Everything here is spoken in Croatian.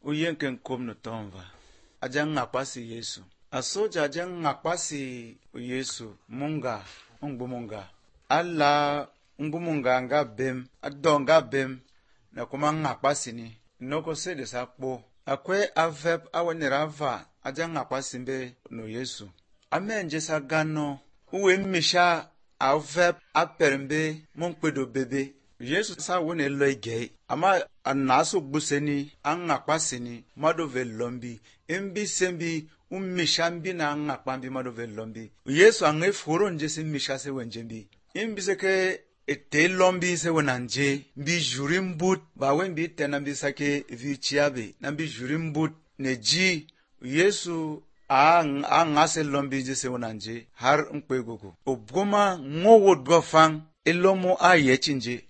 uyenken kom no tomva aja ngapasi Yesu asoja aja ngapasi Yesu munga ngbumunga alla ngbumunga nga bem adonga bem na kuma ngapasi ni noko sede sakpo akwe avep awenirava aja ngapasi mbe no Yesu amenje sagano uwe misha avep apermbe monkpedo bebe Yesu sa wone loige ama anaso gbuseni angakpasini madove lombi imbi sembi ummishambi na angakpambi madove lombi Yesu ange foro nje se misha se wenjembi imbi seke ete lombi se wenanje mbi jurimbut ba wembi tenambi sake vichiabe nambi jurimbut neji Yesu angase lombi nje se wenanje har nkwegogo obgoma ngowod gofang elomo ayechinje